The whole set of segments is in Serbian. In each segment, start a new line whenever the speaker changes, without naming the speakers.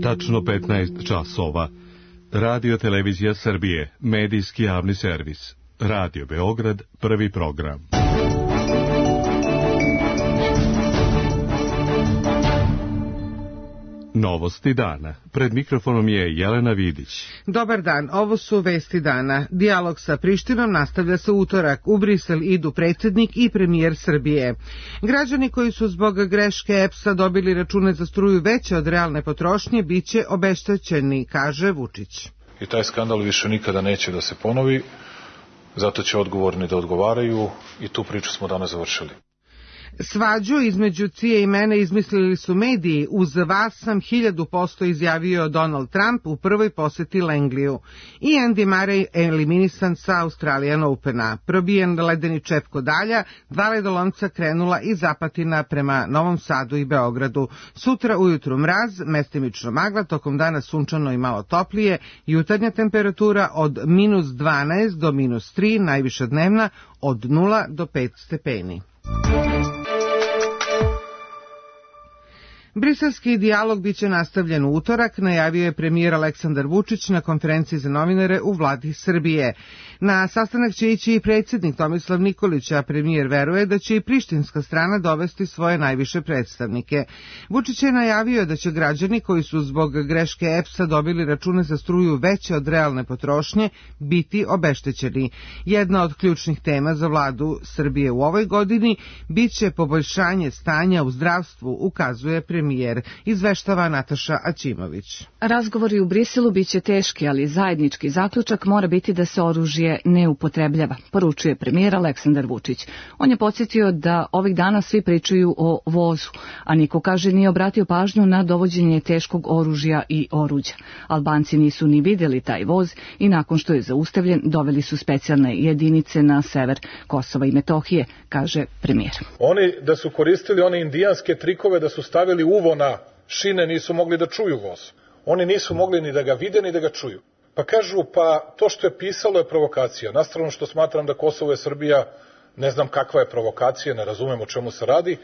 Tačno 15 časova. Radio Televizija Srbije, medijski javni servis. Radio Beograd, prvi program. Novosti dana. Pred mikrofonom je Jelena Vidić.
Dobar dan, ovo su vesti dana. Dijalog sa Prištinom nastavlja se utorak. U Brisel idu predsjednik i premijer Srbije. Građani koji su zbog greške EPS-a dobili račune za struju veće od realne potrošnje biće obeštećeni, kaže Vučić.
I taj skandal više nikada neće da se ponovi, zato će odgovorni da odgovaraju i tu priču smo danas završili.
Svađu između Cije i mene izmislili su mediji. Uz vas sam 1000% izjavio Donald Trump u prvoj poseti Langliju. I Andy Murray eliminisan sa Australian Opena. Probijen ledeni čep Kodalja, 2 ledolomca krenula iz Apatina prema Novom Sadu i Beogradu. Sutra ujutru mraz, mestimično magla, tokom dana sunčano i malo toplije, jutarnja temperatura od -12 do -3, najviša dnevna od 0 do 5 stepeni. Briselski dijalog biće nastavljen u utorak, najavio je premijer Aleksandar Vučić na konferenciji za novinare u vladi Srbije. Na sastanak će ići i predsjednik Tomislav Nikolić, a premijer veruje da će i prištinska strana dovesti svoje najviše predstavnike. Vučić je najavio da će građani koji su zbog greške EPS-a dobili račune za struju veće od realne potrošnje biti obeštećeni. Jedna od ključnih tema za vladu Srbije u ovoj godini biće poboljšanje stanja u zdravstvu, ukazuje premijer. Izveštava Nataša Aćimović.
Razgovori u Briselu biće teški, ali zajednički zaključak mora biti da se oružje ne upotrebljava, poručuje premijer Aleksandar Vučić. On je podsjetio da ovih dana svi pričaju o vozu, a niko, kaže, nije obratio pažnju na dovođenje teškog oružja i oruđa. Albanci nisu ni vidjeli taj voz i nakon što je zaustavljen doveli su specijalne jedinice na sever Kosova i Metohije, kaže premijer.
Oni da su koristili one indijanske trikove, da su stavili uvo na šine, nisu mogli da čuju voz. Oni nisu mogli ni da ga vide ni da ga čuju. Pa kažu, pa to što je pisalo je provokacija. Na stranu što smatram da Kosovo je Srbija, ne znam kakva je provokacija, ne razumem o čemu se radi,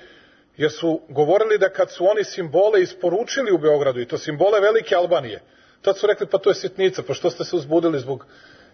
jer su govorili da kad su oni simbole isporučili u Beogradu, i to simbole velike Albanije, tad su rekli, pa to je sitnica, pa što ste se uzbudili zbog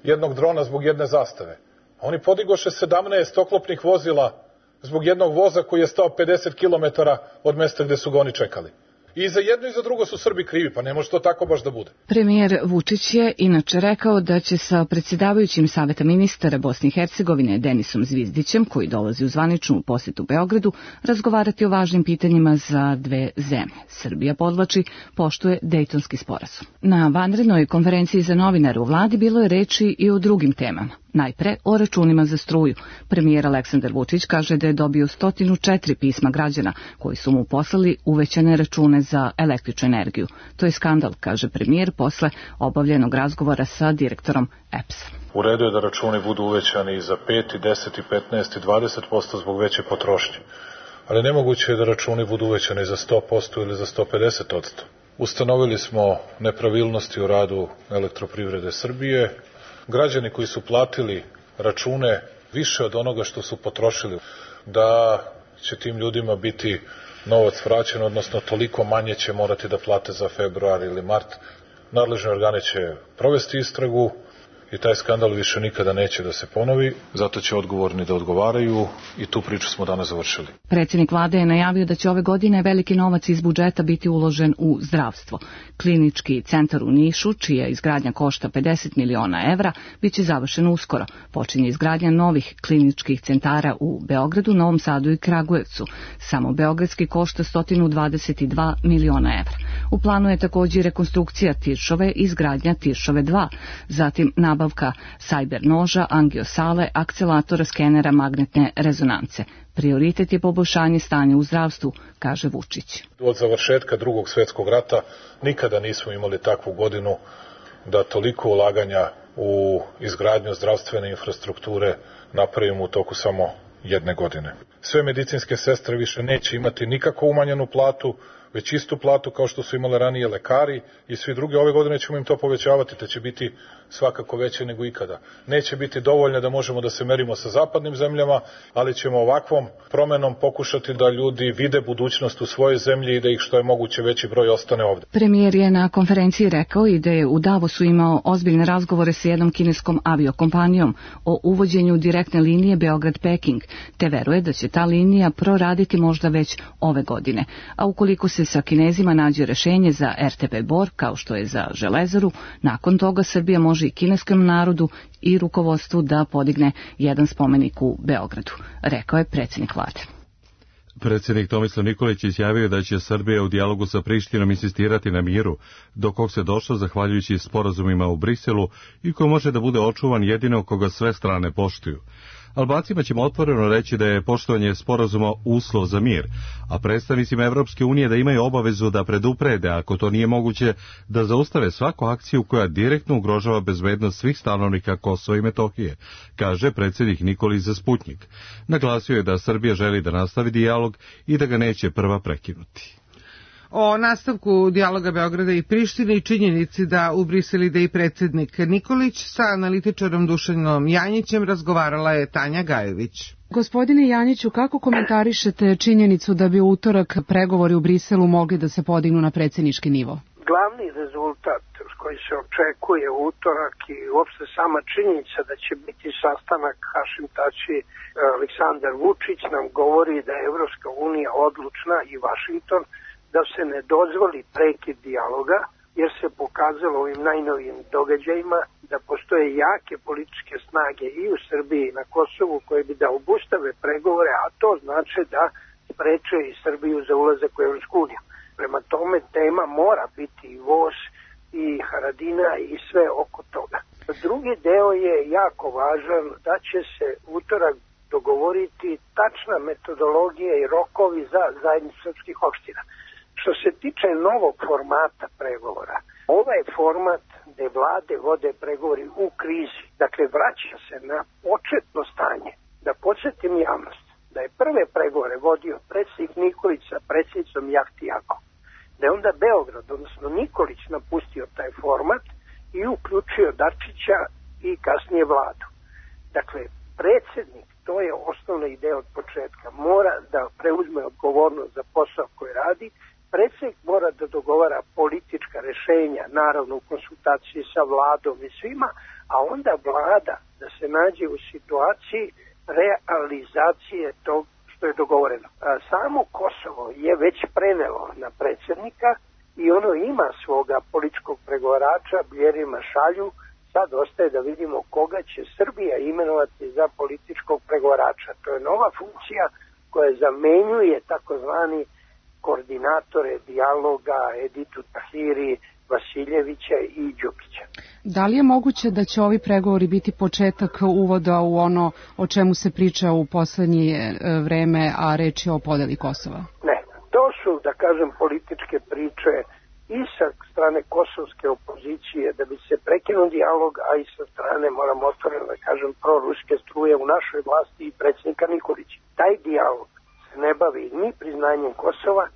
jednog drona, zbog jedne zastave. A oni podigoše 17 oklopnih vozila zbog jednog voza koji je stao 50 km od mesta gde su ga oni čekali. I za jedno i za drugo su Srbi krivi, pa ne može to tako baš da bude.
Premijer Vučić je inače rekao da će sa predsjedavajućim Saveta ministara Bosne i Hercegovine Denisom Zvizdićem, koji dolazi u zvaničnu posjetu Beogradu, razgovarati o važnim pitanjima za dve zemlje. Srbija, podvlači, poštuje Dejtonski sporazum. Na vanrednoj konferenciji za novinare u vladi bilo je reči i o drugim temama. Najpre o računima za struju. Premijer Aleksandar Vučić kaže da je dobio 104 pisma građana koji su mu poslali uvećane račune za električnu energiju. To je skandal, kaže premijer posle obavljenog razgovora sa direktorom EPS-a.
U redu je da računi budu uvećani za 5, 10, 15 i 20% zbog veće potrošnje. Ali nemoguće je da računi budu uvećani za 100% ili za 150%. Ustanovili smo nepravilnosti u radu Elektroprivrede Srbije. Građani koji su platili račune više od onoga što su potrošili, da će tim ljudima biti novac vraćen, odnosno toliko manje će morati da plate za februar ili mart. Nadležni organi će provesti istragu i taj skandal više nikada neće da se ponovi, zato će odgovorni da odgovaraju i tu priču smo danas završili.
Predsjednik vlade je najavio da će ove godine veliki novac iz budžeta biti uložen u zdravstvo. Klinički centar u Nišu, čija izgradnja košta 50 miliona evra, bit će završen uskoro. Počinje izgradnja novih kliničkih centara u Beogradu, Novom Sadu i Kragujevcu. Samo beogradski košta 122 miliona evra. U planu je također rekonstrukcija Tiršove i izgradnja Tiršove 2, zatim nabavka sajber noža, angiosale, akcelatora, skenera magnetne rezonance. Prioritet je poboljšanje stanja u zdravstvu, kaže Vučić.
Od završetka Drugog svjetskog rata nikada nismo imali takvu godinu da toliko ulaganja u izgradnju zdravstvene infrastrukture napravimo u toku samo jedne godine. Sve medicinske sestre više neće imati nikako umanjenu platu, već istu platu kao što su imale ranije lekari i svi drugi. Ove godine ćemo im to povećavati, te će biti svakako veće nego ikada. Neće biti dovoljno da možemo da se merimo sa zapadnim zemljama, ali ćemo ovakvom promenom pokušati da ljudi vide budućnost u svojoj zemlji i da ih što je moguće veći broj ostane ovde.
Premijer je na konferenciji rekao i da je u Davosu imao ozbiljne razgovore sa jednom kineskom aviokompanijom o uvođenju direktne linije Beograd-Peking, te veruje da će ta linija proraditi možda već ove godine. A ukoliko se sa Kinezima nađe rešenje za RTP Bor, kao što je za Železaru, nakon toga Srbija može i kineskom narodu i rukovodstvu da podigne jedan spomenik u Beogradu, rekao je predsjednik vlade.
Predsjednik Tomislav Nikolić izjavio da će Srbija u dijalogu sa Prištinom insistirati na miru, do kog se došlo zahvaljujući sporazumima u Briselu i koji može da bude očuvan jedino koga sve strane poštuju. Albancima ćemo otvoreno reći da je poštovanje sporazuma uslov za mir, a predstavnicima Evropske unije da imaju obavezu da preduprede, ako to nije moguće, da zaustave svaku akciju koja direktno ugrožava bezbednost svih stanovnika Kosova i Metohije, kaže predsjednik Nikolić za Sputnjik. Naglasio je da Srbija želi da nastavi dijalog i da ga neće prva prekinuti.
O nastavku dijaloga Beograda i Prištine i činjenici da u Brisel ide i predsjednik Nikolić sa analitičarom Dušanom Janjićem razgovarala je Tanja Gajević.
Gospodine Janjiću, kako komentarišete činjenicu da bi u utorak pregovori u Briselu mogli da se podignu na predsjednički nivo?
Glavni rezultat koji se očekuje u utorak i uopšte sama činjenica da će biti sastanak Hašim Tači Aleksandar Vučić nam govori da je Evropska unija odlučna i Vašington da se ne dozvoli prekid dijaloga, jer se pokazalo ovim najnovijim događajima da postoje jake političke snage i u Srbiji i na Kosovu koje bi da obustave pregovore, a to znači da spreče i Srbiju za ulazak u Evropsku uniju. Prema tome tema mora biti i voz i Haradina i sve oko toga. Drugi deo je jako važan, da će se utorak dogovoriti tačna metodologija i rokovi za zajednicu srpskih opština. Što se tiče novog formata pregovora, ovaj format gde vlade vode pregovori u krizi, dakle vraća se na početno stanje. Da podsjetim javnost da je prve pregovore vodio predsjednik Nikolić sa predsjednicom Jahtijakom, da je onda Beograd, odnosno Nikolić, napustio taj format i uključio Dačića i kasnije vladu. Dakle, predsjednik, to je osnovna ideja od početka, mora da preuzme odgovornost za posao koji radi. Predsjednik mora da dogovara politička rešenja, naravno u konsultaciji sa vladom i svima, a onda vlada da se nađe u situaciji realizacije tog što je dogovoreno. Samo Kosovo je već prenelo na predsjednika i ono ima svoga političkog pregovarača, Bjerima Šalju. Sad ostaje da vidimo koga će Srbija imenovati za političkog pregovarača. To je nova funkcija koja zamenjuje takozvani koordinatore dijaloga Editu Tahiri, Vasiljevića i Đukića.
Da li je moguće da će ovi pregovori biti početak uvoda u ono o čemu se priča u poslednje vreme, a reč je o podeli Kosova?
Ne, to su, da kažem, političke priče i sa strane kosovske opozicije da bi se prekinuo dijalog, a i sa strane, moram otvoreno da kažem, proruske struje u našoj vlasti i predsjednika Nikolića. Taj dijalog se ne bavi ni priznanjem Kosova,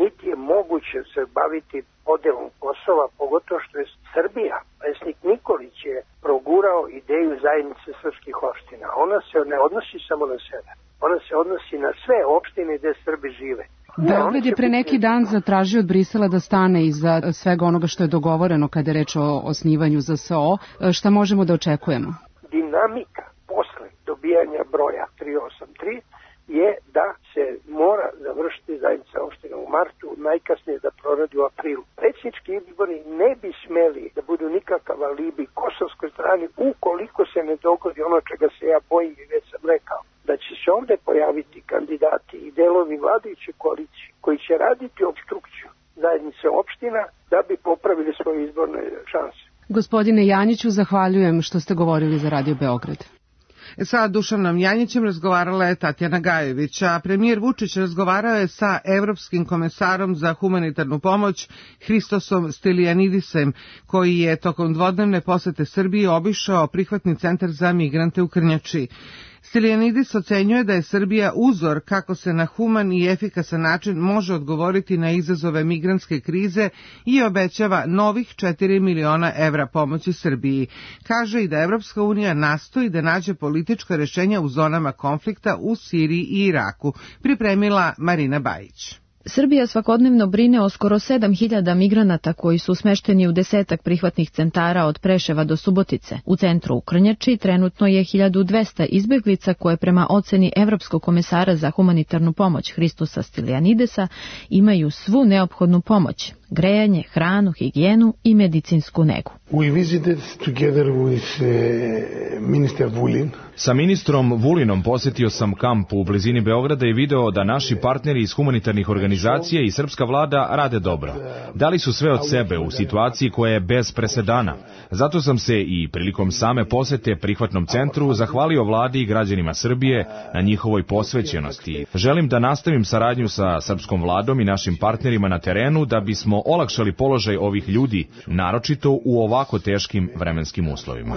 niti je moguće se baviti podelom Kosova, pogotovo što je Srbija, predsjednik Nikolić je progurao ideju zajednice srpskih opština. Ona se ne odnosi samo na sebe, ona se odnosi na sve opštine gde Srbi žive.
Beograd je pre neki dan zatražio od Brisela da stane iza svega onoga što je dogovoreno kada je reč o osnivanju ZSO. Šta možemo da očekujemo?
Dinamika posle dobijanja broja 383 je da se mora završiti zajednica opština u martu, najkasnije da proradi u aprilu. Predsjednički izbori ne bi smeli da budu nikakav alibi kosovskoj strani ukoliko se ne dogodi ono čega se ja bojim i već sam rekao, da će se ovde pojaviti kandidati i delovi vladajuće koalicije koji će raditi opstrukciju zajednice opština da bi popravili svoje izborne šanse.
Gospodine Janjiću, zahvaljujem što ste govorili za Radio Beograd.
Sa Dušanom Janjićem razgovarala je Tatjana Gajević, a premijer Vučić razgovarao je sa Evropskim komesarom za humanitarnu pomoć Hristosom Stilijanidisem, koji je tokom dvodnevne posete Srbiji obišao prihvatni centar za migrante u Krnjači. Stylianidis ocenjuje da je Srbija uzor kako se na human i efikasan način može odgovoriti na izazove migrantske krize i obećava novih 4 miliona evra pomoći Srbiji. Kaže i da Evropska unija nastoji da nađe politička rešenja u zonama konflikta u Siriji i Iraku, pripremila Marina Bajić.
Srbija svakodnevno brine o skoro 7.000 migranata koji su smešteni u 10 prihvatnih centara od Preševa do Subotice. U centru u Krnjači trenutno je 1200 izbeglica koje prema oceni Evropskog komesara za humanitarnu pomoć Hristosa Stylianidesa imaju svu neophodnu pomoć, grejanje, hranu, higijenu i medicinsku negu.
We visited together with Minister Vulin.
Sa ministrom Vulinom posjetio sam kamp u blizini Beograda i video da naši partneri iz humanitarnih organizacija i srpska vlada rade dobro. Dali su sve od sebe u situaciji koja je bez presedana. Zato sam se i prilikom same posete prihvatnom centru zahvalio vladi i građanima Srbije na njihovoj posvećenosti. Želim da nastavim saradnju sa srpskom vladom i našim partnerima na terenu da bismo olakšali položaj ovih ljudi, naročito u ovako teškim vremenskim uslovima.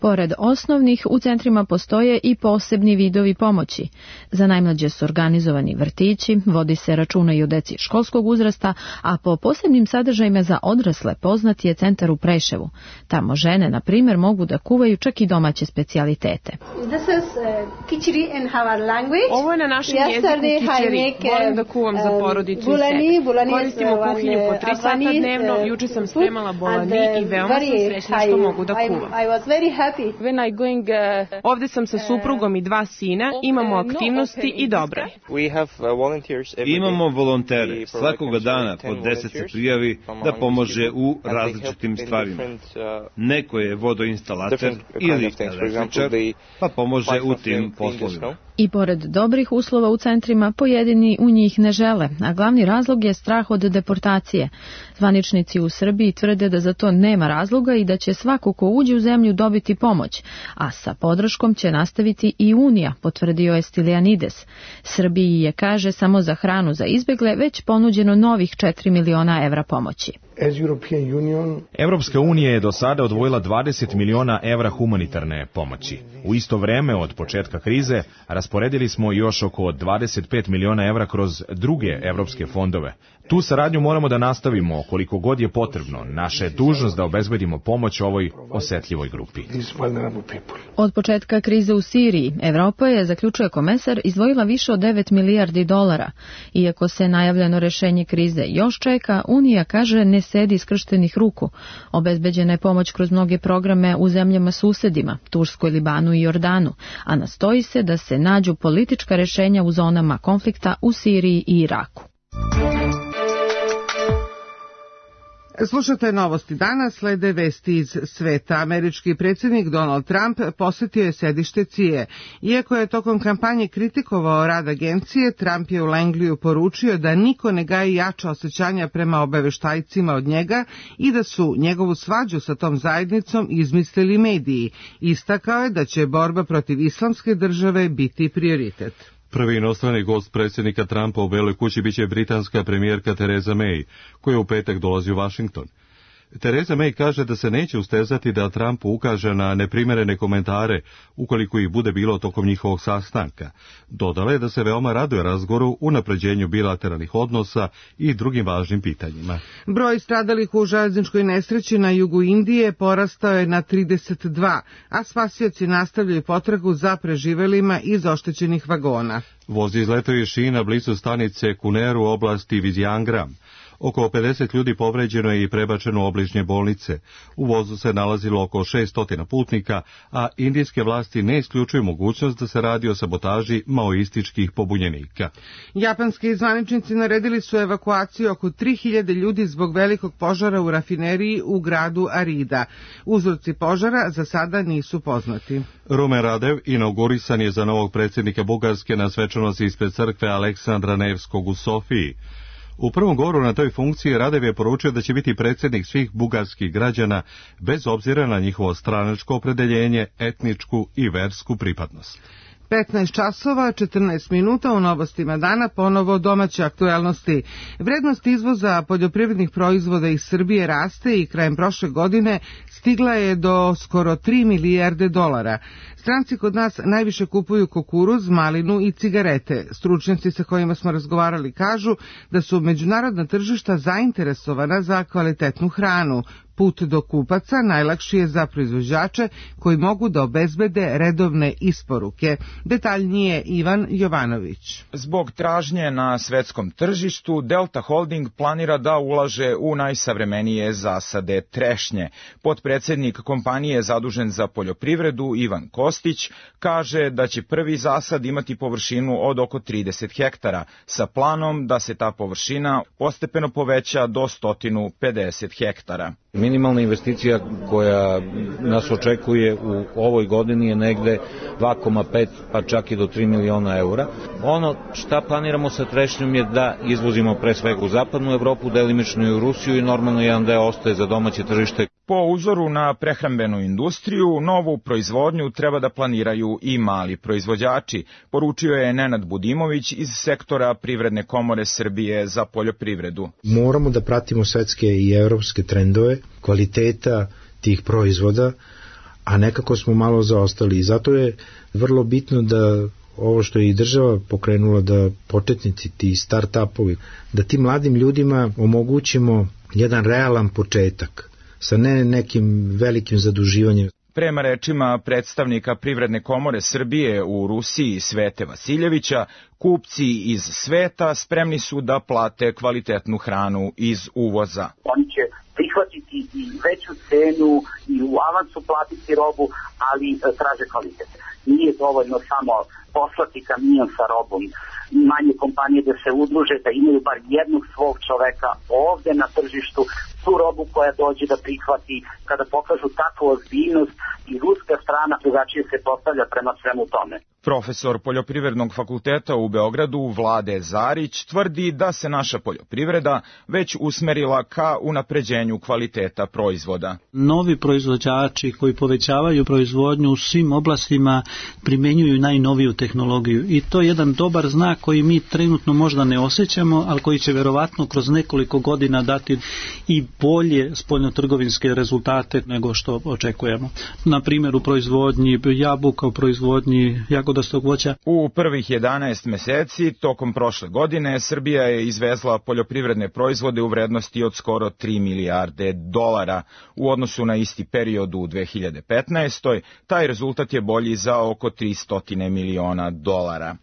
Pored osnovnih, u centrima postoje i posebni vidovi pomoći. Za najmlađe su organizovani vrtići, vodi se računa i o deci školskog uzrasta, a po posebnim sadržajima za odrasle poznat je centar u Preševu. Tamo žene, na primjer, mogu da kuvaju čak i domaće specijalitete.
Ovo je na našem jeziku kičeri. Volim da kuvam za porodicu i sebe. Koristimo kuhinju po 3 sata dnevno. Juče sam spremala bolani i veoma sam srećna što mogu da kuvam. Ovde sam sa suprugom i 2 sina, imamo aktivnosti i dobro je.
Imamo volontere. Svakoga dana po 10 se prijavi da pomože u različitim stvarima. Neko je vodoinstalater ili električar, pa pomože u tim poslovima.
I pored dobrih uslova u centrima, pojedini u njih ne žele, a glavni razlog je strah od deportacije. Zvaničnici u Srbiji tvrde da za to nema razloga i da će svako ko uđe u zemlju dobiti pomoć, a sa podrškom će nastaviti i Unija, potvrdio je Stylianides. Srbiji je, kaže, samo za hranu za izbegle već ponuđeno novih 4 miliona evra pomoći.
Evropska unija je do sada odvojila 20 miliona evra humanitarne pomoći. U isto vreme od početka krize rasporedili smo još oko 25 miliona evra kroz druge evropske fondove. Tu saradnju moramo da nastavimo koliko god je potrebno. Naša je dužnost da obezbedimo pomoć ovoj osetljivoj grupi.
Od početka krize u Siriji, Evropa je, zaključuje komesar, izdvojila više od 9 milijardi dolara. Iako se najavljeno rešenje krize još čeka, Unija, kaže, ne sedi skrštenih ruku. Obezbeđena je pomoć kroz mnoge programe u zemljama susedima, Turskoj, Libanu i Jordanu, a nastoji se da se nađu politička rešenja u zonama konflikta u Siriji i Iraku.
Slušate novosti danas, slede vesti iz sveta. Američki predsjednik Donald Trump posjetio je sedište CIA. Iako je tokom kampanje kritikovao rad agencije, Trump je u Langliju poručio da niko ne gaji jača osjećanja prema obaveštajcima od njega i da su njegovu svađu sa tom zajednicom izmislili mediji. Istakao je da će borba protiv islamske države biti prioritet.
Prvi inostrani gost predsjednika Trumpa u Beloj kući biće britanska premijerka Theresa May, koja u petak dolazi u Washington. Theresa May kaže da se neće ustezati da Trump ukaže na neprimjerene komentare ukoliko ih bude bilo tokom njihovog sastanka. Dodala je da se veoma raduje razgovoru, unapređenju bilateralnih odnosa i drugim važnim pitanjima.
Broj stradalih u železničkoj nesreći na jugu Indije porastao je na 32, a spasioci nastavljaju potragu za preživelima iz oštećenih vagona.
Voz izletao iz šina blizu stanice Kuneru u oblasti Viziangram. Oko 50 ljudi povređeno je i prebačeno u obližnje bolnice. U vozu se nalazilo oko 600 putnika, a indijske vlasti ne isključuju mogućnost da se radi o sabotaži maoističkih pobunjenika.
Japanski zvaničnici naredili su evakuaciju oko 3000 ljudi zbog velikog požara u rafineriji u gradu Arida. Uzroci požara za sada nisu poznati.
Rumen Radev inaugurisan je za novog predsjednika Bugarske na svečanosti ispred crkve Aleksandra Nevskog u Sofiji. U prvom govoru na toj funkciji Radev je poručio da će biti predsjednik svih bugarskih građana bez obzira na njihovo stranačko opredeljenje, etničku i versku pripadnost.
15 časova, 14 minuta u novostima dana, ponovo domaće aktuelnosti. Vrednost izvoza poljoprivrednih proizvoda iz Srbije raste i krajem prošle godine stigla je do skoro 3 milijarde dolara. Stranci kod nas najviše kupuju kukuruz, malinu i cigarete. Stručnjaci sa kojima smo razgovarali kažu da su međunarodna tržišta zainteresovana za kvalitetnu hranu. Put do kupaca najlakši je za proizvođače koji mogu da obezbede redovne isporuke. Detaljnije Ivan Jovanović.
Zbog tražnje na svetskom tržištu, Delta Holding planira da ulaže u najsavremenije zasade trešnje. Potpredsednik kompanije zadužen za poljoprivredu Ivan Kostić kaže da će prvi zasad imati površinu od oko 30 hektara, sa planom da se ta površina postepeno poveća do 150 hektara.
Minimalna investicija koja nas očekuje u ovoj godini je negde 2,5 pa čak i do 3 miliona eura. Ono šta planiramo sa trešnjom je da izvozimo pre svega u zapadnu Evropu, delimično i u Rusiju i normalno jedan deo ostaje za domaće tržište.
Po uzoru na prehrambenu industriju, novu proizvodnju treba da planiraju i mali proizvođači, poručio je Nenad Budimović iz sektora Privredne komore Srbije za poljoprivredu.
Moramo da pratimo svetske i evropske trendove kvaliteta tih proizvoda, a nekako smo malo zaostali i zato je vrlo bitno da ovo što je i država pokrenula, da početnici, ti start-upovi, da tim mladim ljudima omogućimo jedan realan početak sa ne nekim velikim zaduživanjem.
Prema rečima predstavnika Privredne komore Srbije u Rusiji Svete Vasiljevića, kupci iz sveta spremni su da plate kvalitetnu hranu iz uvoza.
Oni će prihvatiti i veću cenu i u avansu platiti robu, ali traže kvalitet. Nije dovoljno samo poslati kamion sa robom. Manje kompanije da se udruže, da imaju bar jednog svog čoveka ovde na tržištu, tu robu koja dođe da prihvati, kada pokažu takvu ozbiljnost i ruska strana drugačije se postavlja prema svemu tome.
Profesor Poljoprivrednog fakulteta u Beogradu Vlade Zarić tvrdi da se naša poljoprivreda već usmerila ka unapređenju kvaliteta proizvoda.
Novi proizvođači koji povećavaju proizvodnju u svim oblastima primenjuju najnoviju tehnologiju i to je jedan dobar znak koji mi trenutno možda ne osjećamo, ali koji će verovatno kroz nekoliko godina dati i bolje spoljnotrgovinske rezultate nego što očekujemo. Na primjer u proizvodnji jabuka, u proizvodnji jagodastog voća.
U prvih 11 meseci tokom prošle godine Srbija je izvezla poljoprivredne proizvode u vrednosti od skoro 3 milijarde dolara. U odnosu na isti period u 2015. taj rezultat je bolji za oko 300 miliona dolara.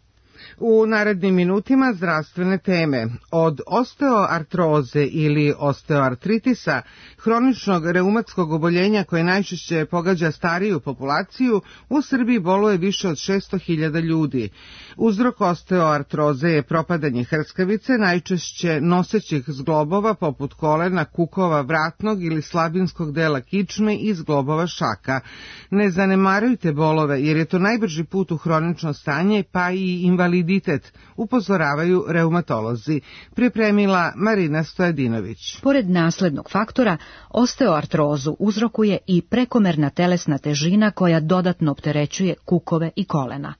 U narednim minutima zdravstvene teme. Od osteoartroze ili osteoartritisa, hroničnog reumatskog oboljenja koje najčešće pogađa stariju populaciju, u Srbiji boluje više od 600.000 ljudi. Uzrok osteoartroze je propadanje hrskavice, najčešće nosećih zglobova poput kolena, kukova, vratnog ili slabinskog dela kičme i zglobova šaka. Ne zanemarujte bolove jer je to najbrži put u hronično stanje pa i invaliditet, upozoravaju reumatolozi. Pripremila Marina Stojadinović.
Pored naslednog faktora, osteoartrozu uzrokuje i prekomerna telesna težina koja dodatno opterećuje kukove i kolena.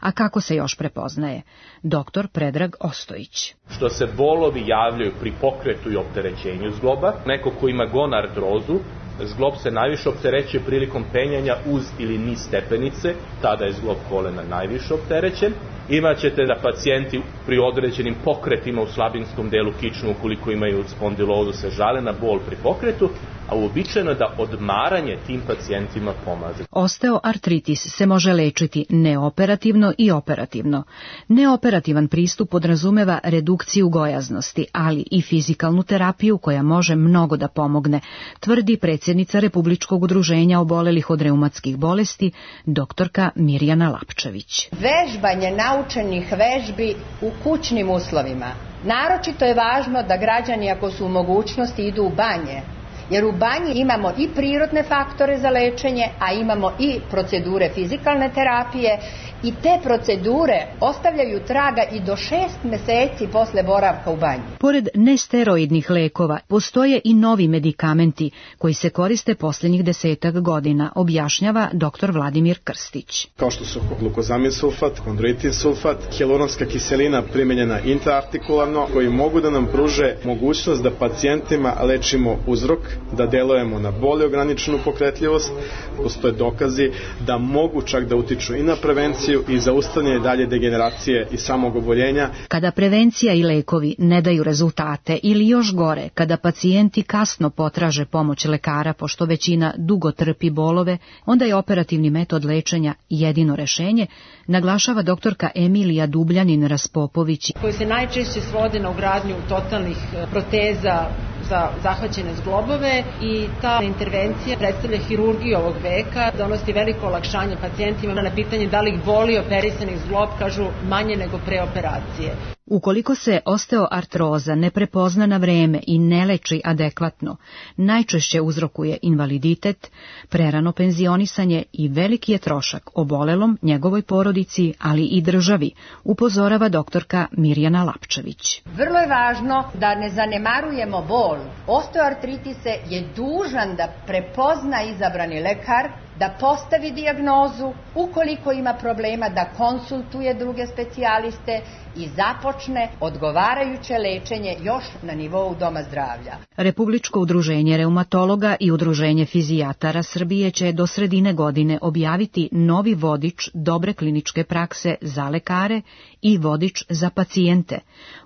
A kako se još prepoznaje? Doktor Predrag Ostojić.
Što se bolovi javljaju pri pokretu i opterećenju zgloba, neko ko ima gonartrozu, zglob se najviše opterećuje prilikom penjanja uz ili niz stepenice, tada je zglob kolena najviše opterećen. Imaćete da pacijenti pri određenim pokretima u slabinskom delu kične, ukoliko imaju spondilozu, se žale na bol pri pokretu, a uobičajeno da odmaranje tim pacijentima pomaže.
Osteoartritis se može lečiti neoperativno i operativno. Neoperativan pristup podrazumeva redukciju gojaznosti, ali i fizikalnu terapiju koja može mnogo da pomogne, tvrdi predsjednica Republičkog udruženja obolelih od reumatskih bolesti, doktorka Mirjana Lapčević.
Vežbanje naučenih vežbi u kućnim uslovima. Naročito je važno da građani, ako su u mogućnosti, idu u banje, jer u banji imamo i prirodne faktore za lečenje, a imamo i procedure fizikalne terapije I te procedure ostavljaju traga i do 6 meseci posle boravka u banji.
Pored nesteroidnih lekova, postoje i novi medikamenti koji se koriste posljednjih 10 godina, objašnjava dr. Vladimir Krstić.
Kao što su glukozamin sulfat, kondroitin sulfat, hijaluronska kiselina primenjena intraartikularno, koji mogu da nam pruže mogućnost da pacijentima lečimo uzrok, da delujemo na bolje ograničenu pokretljivost. Postoje dokazi da mogu čak da utiču i na prevenciju i zaustavljanje dalje degeneracije i samog oboljenja.
Kada prevencija i lekovi ne daju rezultate ili još gore, kada pacijenti kasno potraže pomoć lekara pošto većina dugo trpi bolove, onda je operativni metod lečenja jedino rešenje, naglašava doktorka Emilija Dubljanin-Raspopović.
Koji se najčešće svode na ugradnju totalnih proteza za zahvaćene zglobove i ta intervencija predstavlja hirurgiju ovog veka, donosi veliko olakšanje pacijentima. Na pitanje da li ih boli operisani zglob, kažu manje nego pre operacije.
Ukoliko se osteoartroza ne prepozna na vreme i ne leči adekvatno, najčešće uzrokuje invaliditet, prerano penzionisanje i veliki je trošak obolelom, njegovoj porodici, ali i državi, upozorava doktorka Mirjana Lapčević.
Vrlo je važno da ne zanemarujemo bol. Osteoartritise je dužan da prepozna izabrani lekar, da postavi dijagnozu, ukoliko ima problema da konsultuje druge specijaliste i započne odgovarajuće lečenje još na nivou doma zdravlja.
Republičko udruženje reumatologa i udruženje fizijatara Srbije će do sredine godine objaviti novi vodič dobre kliničke prakse za lekare i vodič za pacijente.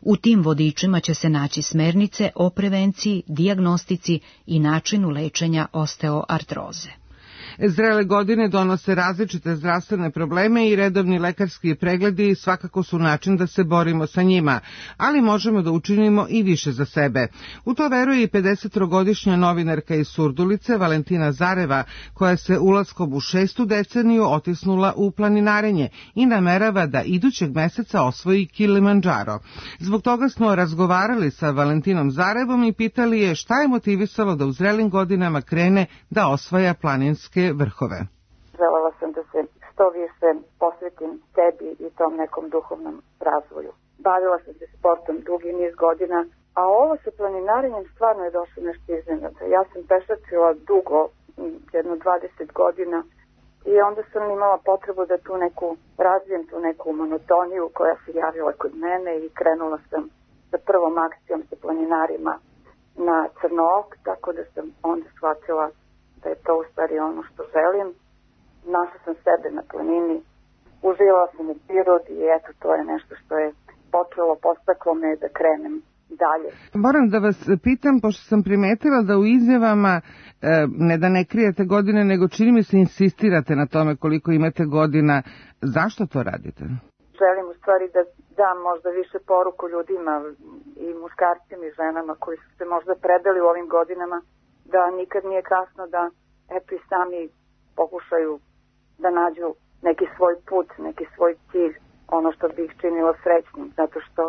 U tim vodičima će se naći smernice o prevenciji, dijagnostici i načinu lečenja osteoartroze.
Zrele godine donose različite zdravstvene probleme i redovni lekarski pregledi svakako su način da se borimo sa njima, ali možemo da učinimo i više za sebe. U to veruje i 50-godišnja novinarka iz Surdulice Valentina Zareva, koja se ulaskom u 6. deceniju otisnula u planinarenje i namerava da idućeg meseca osvoji Kilimandžaro. Zbog toga smo razgovarali sa Valentinom Zarevom i pitali je šta je motivisalo da u zrelim godinama krene da osvaja planinske vrhove.
Želela sam da se što više posvetim sebi i tom nekom duhovnom razvoju. Bavila sam se sportom dugi niz godina, a ovo sa planinarenjem stvarno je došlo nešto iznenada. Ja sam pešačila dugo, jedno 20 godina, i onda sam imala potrebu da tu neku razvijem, tu neku monotoniju koja se javila kod mene i krenula sam sa prvom akcijom sa planinarima na Crnook, tako da sam onda shvatila da je to u stvari ono što želim. Našla sam sebe na planini, uživala sam u prirodi i eto, to je nešto što je podstaklo me da krenem dalje.
Moram da vas pitam, pošto sam primetila da u izjavama, ne da ne krijete godine, nego čini mi se insistirate na tome koliko imate godina. Zašto to radite?
Želim u stvari da dam možda više poruku ljudima i muškarcima i ženama koji su se možda predali u ovim godinama, da nikad nije kasno da eto i sami pokušaju da nađu neki svoj put, neki svoj cilj, ono što bi ih činilo srećnim, zato što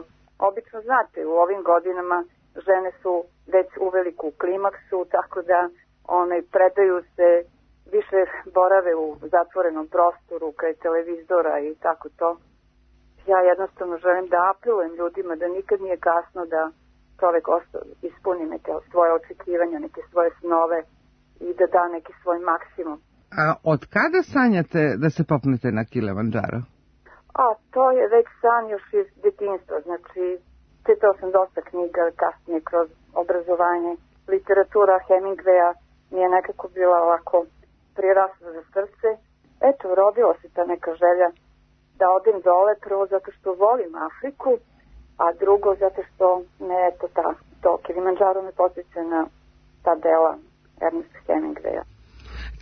obično znate, u ovim godinama žene su već uveliko u klimaksu, tako da predaju se, više borave u zatvorenom prostoru, kraj televizora i tako to. Ja jednostavno želim da apelujem ljudima da nikad nije kasno da čovek ispuni neke svoje očekivanja, neke svoje snove i da da neki svoj maksimum.
A od kada sanjate da se popnete na Kilimandžaro?
To je već san još iz detinjstva, znači čitao sam dosta knjiga kasnije kroz obrazovanje. Literatura Hemingwaya mi je nekako bila ovako prirasla za srce. Eto, rodila se ta neka želja da odem dole, prvo zato što volim Afriku, a drugo zato što to Kilimandžaro me podsjeća na ta dela Ernesta Hemingwaya.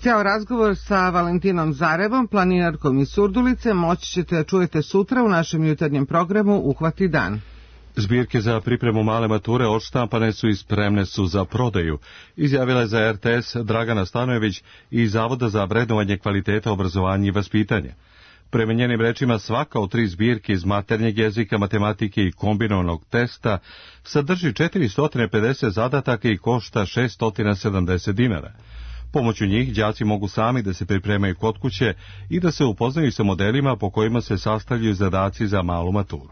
Ceo razgovor sa Valentinom Zarevom, planinarkom iz Surdulice, moći ćete da čujete sutra u našem jutarnjem programu Uhvati dan.
Zbirke za pripremu male mature odštampane su i spremne su za prodaju, izjavila je za RTS Dragana Stanojević iz Zavoda za vrednovanje kvaliteta obrazovanja i vaspitanja. Prema njenim rečima, svaka od 3 zbirke iz maternjeg jezika, matematike i kombinovanog testa sadrži 450 zadataka i košta 670 dinara. Pomoću njih đaci mogu sami da se pripremaju kod kuće i da se upoznaju sa modelima po kojima se sastavljaju zadaci za malu maturu.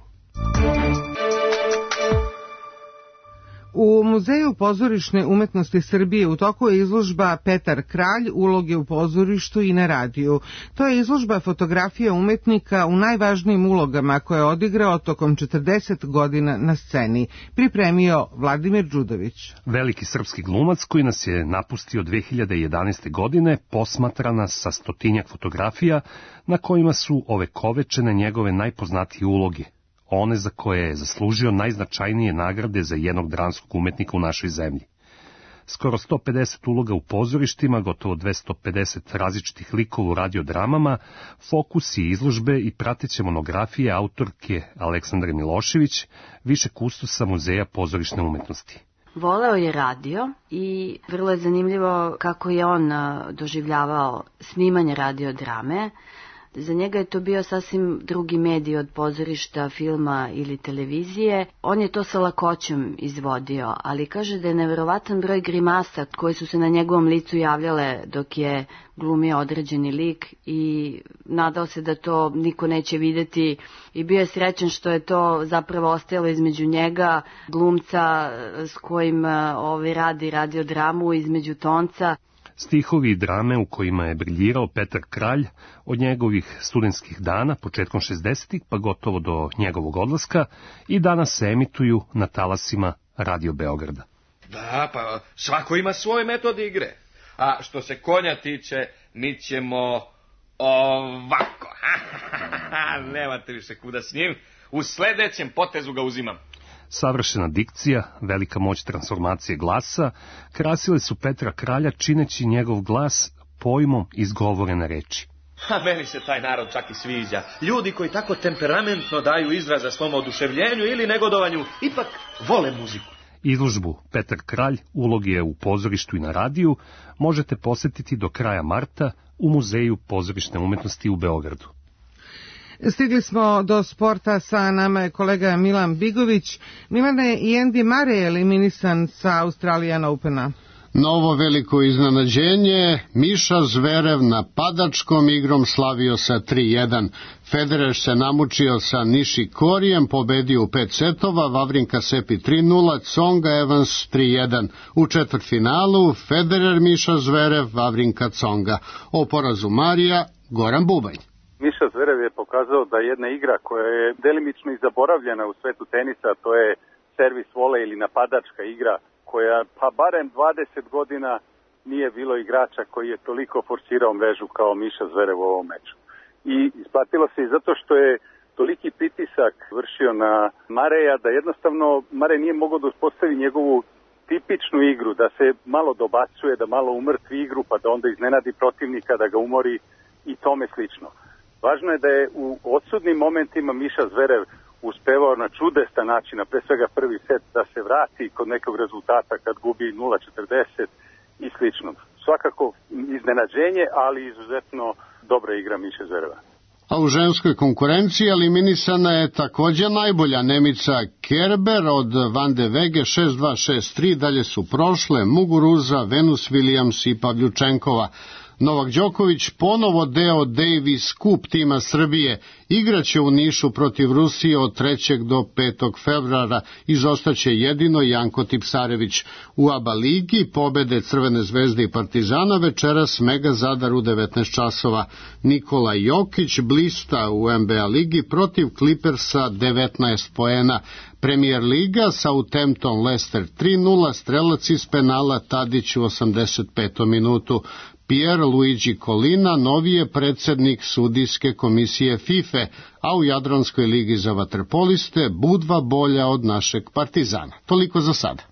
U Muzeju pozorišne umetnosti Srbije u toku je izložba Petar Kralj, uloge u pozorištu i na radiju. To je izložba fotografija umetnika u najvažnijim ulogama koje je odigrao tokom 40 godina na sceni. Pripremio Vladimir Đudović.
Veliki srpski glumac koji nas je napustio 2011. godine posmatra nas sa 100-tinjak fotografija na kojima su ovekovečene njegove najpoznatije uloge. One za koje je zaslužio najznačajnije nagrade za jednog dramskog umetnika u našoj zemlji. Skoro 150 uloga u pozorištima, gotovo 250 različitih likova u radiodramama, fokusi izložbe i prateće monografije autorke Aleksandre Milošević, više kustosa Muzeja pozorišne umetnosti.
Voleo je radio i vrlo je zanimljivo kako je on doživljavao snimanje radiodrame. Za njega je to bio sasvim drugi medij od pozorišta, filma ili televizije. On je to sa lakoćom izvodio, ali kaže da je neverovatan broj grimasa koje su se na njegovom licu javljale dok je glumio određeni lik i nadao se da to niko neće videti i bio je srećan što je to zapravo ostajalo između njega, glumca s kojim radi radiodramu, između Tonca.
Stihovi i drame u kojima je briljirao Petar Kralj od njegovih studentskih dana, početkom 60-ih pa gotovo do njegovog odlaska, i danas se emituju na talasima Radio Beograda.
Da, pa svako ima svoj metod igre. A što se konja tiče, mi ćemo ovako. Nemate više kuda s njim. U sledećem potezu ga uzimam.
Savršena dikcija, velika moć transformacije glasa, krasile su Petra Kralja čineći njegov glas pojmom izgovorene reči.
Meni se taj narod čak i sviđa. Ljudi koji tako temperamentno daju izraza svom oduševljenju ili negodovanju, ipak vole muziku.
Izložbu Petar Kralj, uloge u pozorištu i na radiju, možete posetiti do kraja marta u Muzeju pozorišne umetnosti u Beogradu.
Stigli smo do sporta, sa nama je kolega Milan Bigović. Milane, i Andy Murray je eliminisan sa Australian Opena.
Novo veliko iznenađenje, Miša Zverev napadačkom igrom slavio sa 3-1. Federer se namučio sa Nishikorijem, pobedio u 5 setova, Wawrinka Sepi 3-0, Tsonga Evans 3-1. U četvrtfinalu Federer, Miša Zverev, Wawrinka Tsonga. O porazu Marija, Goran Bubanj.
Miša Zverev je pokazao da jedna igra koja je delimično i zaboravljena u svetu tenisa, to je servis vole ili napadačka igra, koja pa barem 20 godina nije bilo igrača koji je toliko forsirao mrežu kao Miša Zverev u ovom meču. I isplatilo se i zato što je toliki pritisak vršio na Mareja da jednostavno Marej nije mogao da uspostavi njegovu tipičnu igru, da se malo dobacuje, da malo umrtvi igru pa da onda iznenadi protivnika, da ga umori i tome slično. Važno je da je u odsudnim momentima Miša Zverev uspevao na čudestan način, pre svega prvi set, da se vrati kod nekog rezultata kad gubi 0-40 i slično. Svakako iznenađenje, ali izuzetno dobra igra Miše Zvereva.
A u ženskoj konkurenciji eliminisana je također najbolja Nemica Kerber od Van de Wege 6-2, 6-3, dalje su prošle Muguruza, Venus Williams i Pavljučenkova. Novak Đoković, ponovo deo Davis Cup tima Srbije, igraće u Nišu protiv Rusije od 3. do 5. februara, izostaće jedino Janko Tipsarević. U ABA ligi pobede Crvene zvezde i Partizana večeras Mega Zadar u 19 časova. Nikola Jokić blista u NBA ligi protiv Clippersa 19 poena. Premier liga Southampton Leicester 3-0, strelac iz penala Tadić u 85. minutu. Pier Luigi Colina novi je predsjednik sudijske komisije FIFA, a u Jadranskoj ligi za vaterpoliste Budva bolja od našeg Partizana. Toliko za sada.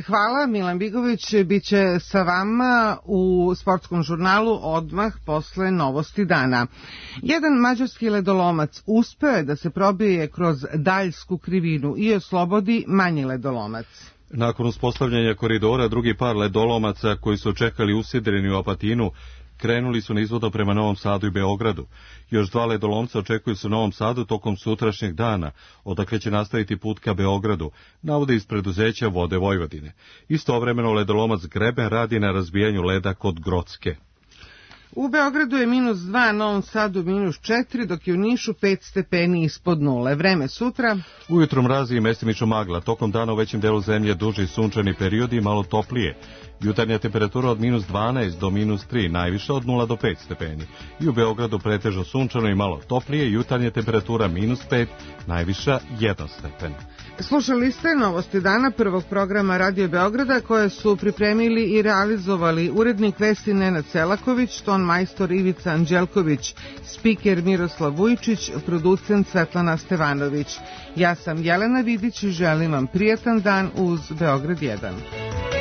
Hvala, Milan Bigović biće sa vama u sportskom žurnalu odmah posle novosti dana. Jedan mađarski ledolomac uspeo je da se probije kroz daljsku krivinu i oslobodi manji ledolomac.
Nakon uspostavljanja koridora, drugi par ledolomaca koji su čekali usidreni u Apatinu krenuli su nizvodno prema Novom Sadu i Beogradu. Još 2 ledolomca očekuju se u Novom Sadu tokom sutrašnjeg dana, odakle će nastaviti put ka Beogradu, navode iz preduzeća Vode Vojvodine. Istovremeno ledolomac Greben radi na razbijanju leda kod Grocke.
U Beogradu je -2, Novom Sadu -4, dok je u Nišu 5 stepeni ispod nule. Vreme sutra.
Ujutro mrazi i mestimično magla, tokom dana u većem delu zemlje duži sunčani periodi i malo toplije. Jutarnja temperatura od -12 do -3, najviša od 0 do 5 stepeni. I u Beogradu pretežno sunčano i malo toplije, jutarnja temperatura -5, najviša 1 stepen.
Slušali ste novosti dana prvog programa Radio Beograda koje su pripremili i realizovali urednik vesti Nenad Selaković, ton majstor Ivica Anđelković, spiker Miroslav Vujčić, producent Svetlana Stevanović. Ja sam Jelena Vidić i želim vam prijatan dan uz Beograd 1.